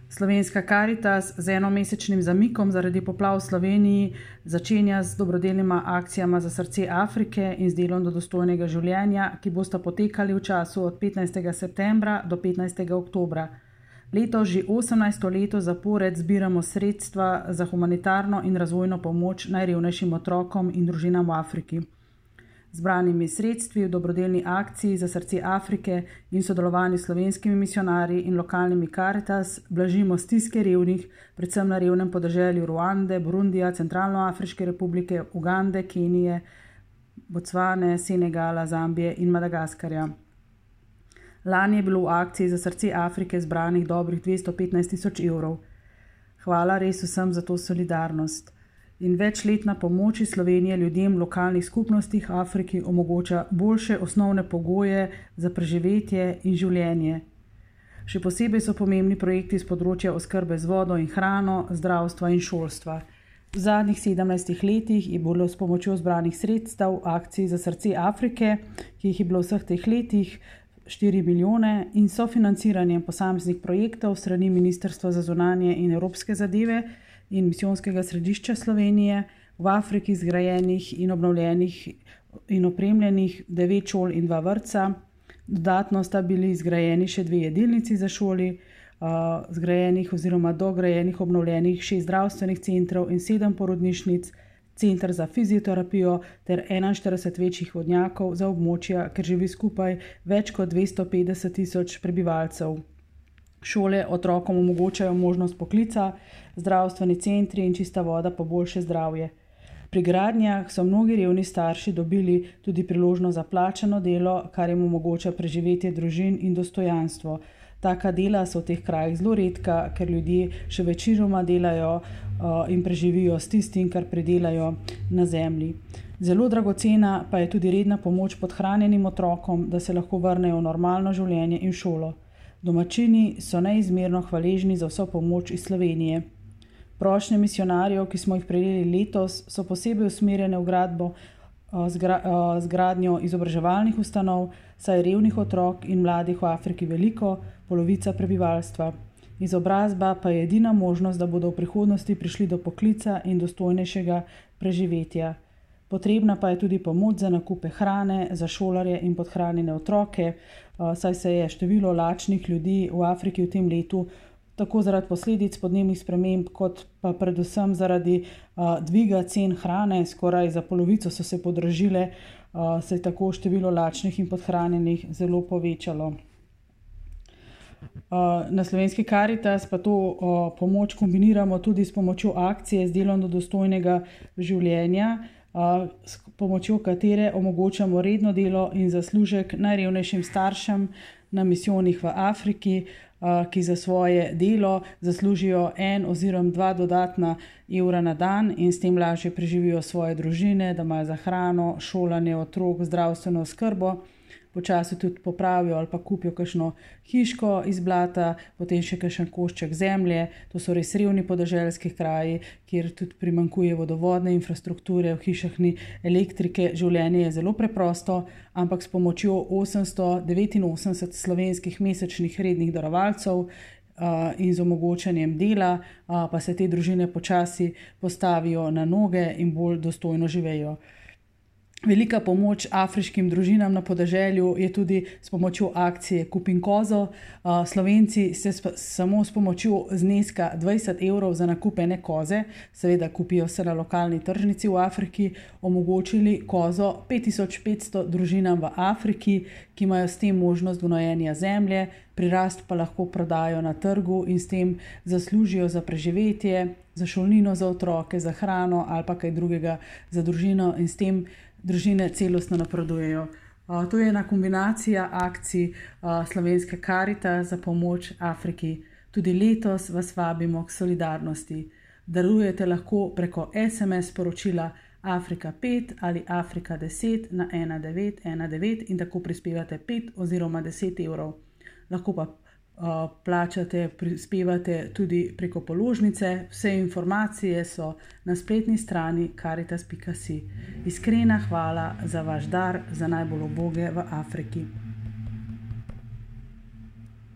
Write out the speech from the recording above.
Slovenska Karitas z enomesečnim zamikom zaradi poplav v Sloveniji začenja z dobrodelnima akcijama za srce Afrike in z delom do dostojnega življenja, ki bosta potekali v času od 15. septembra do 15. oktobra. Letos že 18. leto zapored zbiramo sredstva za humanitarno in razvojno pomoč najrevnejšim otrokom in družinam v Afriki. Zbranimi sredstvi v dobrodelni akciji za srce Afrike in sodelovanju s slovenskimi misionarji in lokalnimi Karitas blažimo stiske revnih, predvsem na revnem podeželju Ruande, Burundija, Centralnoafriške republike, Ugande, Kenije, Bocvane, Senegala, Zambije in Madagaskarja. Lani je bilo v akciji za srce Afrike zbranih dobrih 215.000 evrov. Hvala res vsem za to solidarnost. In večletna pomoč iz Slovenije ljudem v lokalnih skupnostih Afriki omogoča boljše osnovne pogoje za preživetje in življenje. Še posebej so pomembni projekti z področja oskrbe z vodo in hrano, zdravstva in šolstva. V zadnjih 17 letih je bilo s pomočjo zbranih sredstev v akciji za srce Afrike, ki jih je bilo v vseh teh letih 4 milijone, in sofinanciranjem posameznih projektov strani Ministrstva za zunanje in evropske zadeve in Misijonskega središča Slovenije v Afriki zgrajenih in obnovljenih in opremljenih 9 šol in 2 vrtca. Dodatno sta bili zgrajeni še 2 jedilnici za šoli, zgrajenih oziroma dograjenih obnovljenih 6 zdravstvenih centrov in 7 porodnišnic, center za fizioterapijo ter 41 večjih vodnjakov za območja, ker živi skupaj več kot 250.000 prebivalcev. Šole otrokom omogočajo možnost poklica, zdravstveni centri in čista voda pa boljše zdravje. Pri gradnjah so mnogi revni starši dobili tudi priložnost za plačano delo, kar jim omogoča preživetje družin in dostojanstvo. Taka dela so v teh krajih zelo redka, ker ljudje še večinoma delajo in preživijo s tistim, kar pridelajo na zemlji. Zelo dragocena pa je tudi redna pomoč podhranjenim otrokom, da se lahko vrnejo v normalno življenje in šolo. Domačini so neizmerno hvaležni za vso pomoč iz Slovenije. Prošnje misionarjev, ki smo jih prejeli letos, so posebej usmerjene v gradbo z gradnjo izobraževalnih ustanov, saj revnih otrok in mladih v Afriki veliko, polovica prebivalstva. Izobrazba pa je edina možnost, da bodo v prihodnosti prišli do poklica in dostojnejšega preživetja. Potrebna pa je tudi pomoč za nakupe hrane, za šolarje in podhranjene otroke, saj se je število lačnih ljudi v Afriki v tem letu tako zaradi posledic podnebnih sprememb, kot pa predvsem zaradi dviga cen hrane, skoraj za polovico so se podražile, se je tako število lačnih in podhranjenih zelo povečalo. Na Slovenski Karitas pa to pomoč kombiniramo tudi s pomočjo akcije z delom do dostojnega življenja, s pomočjo katere omogočamo redno delo in zaslužek najrevnejšim staršem na misijonih v Afriki, ki za svoje delo zaslužijo 1 oziroma 2 dodatna evra na dan in s tem lažje preživijo svoje družine, da imajo za hrano, šolanje otrok, zdravstveno oskrbo. Počasi tudi popravijo ali pa kupijo kakšno hiško iz blata, potem še kakšen košček zemlje. To so res revni podeželski kraji, kjer tudi primanjkuje vodovodne infrastrukture, v hišah ni elektrike. Življenje je zelo preprosto, ampak s pomočjo 889 slovenskih mesečnih rednih darovalcev in z omogočanjem dela pa se te družine počasi postavijo na noge in bolj dostojno živejo. Velika pomoč afriškim družinam na podeželju je tudi s pomočjo akcije Kupim kozo. Slovenci se samo s pomočjo zneska 20 evrov za nakup ene koze, seveda kupijo se na lokalni tržnici v Afriki, omogočili kozo 5500 družinam v Afriki, ki imajo s tem možnost gnojenja zemlje, prirast pa lahko prodajo na trgu in s tem zaslužijo za preživetje, za šolnino za otroke, za hrano ali pa kaj drugega za družino in s tem družine celostno napredujejo. To je ena kombinacija akcij Slovenske Karitas za pomoč Afriki. Tudi letos vas vabimo k solidarnosti. Darujete lahko preko SMS sporočila Afrika 5 ali Afrika 10 na 1919 in tako prispevate 5 oziroma 10 evrov. Lahko pa plačate, prispevate tudi preko položnice. Vse informacije so na spletni strani caritas.si. Iskrena hvala za vaš dar za najbolj uboge v Afriki.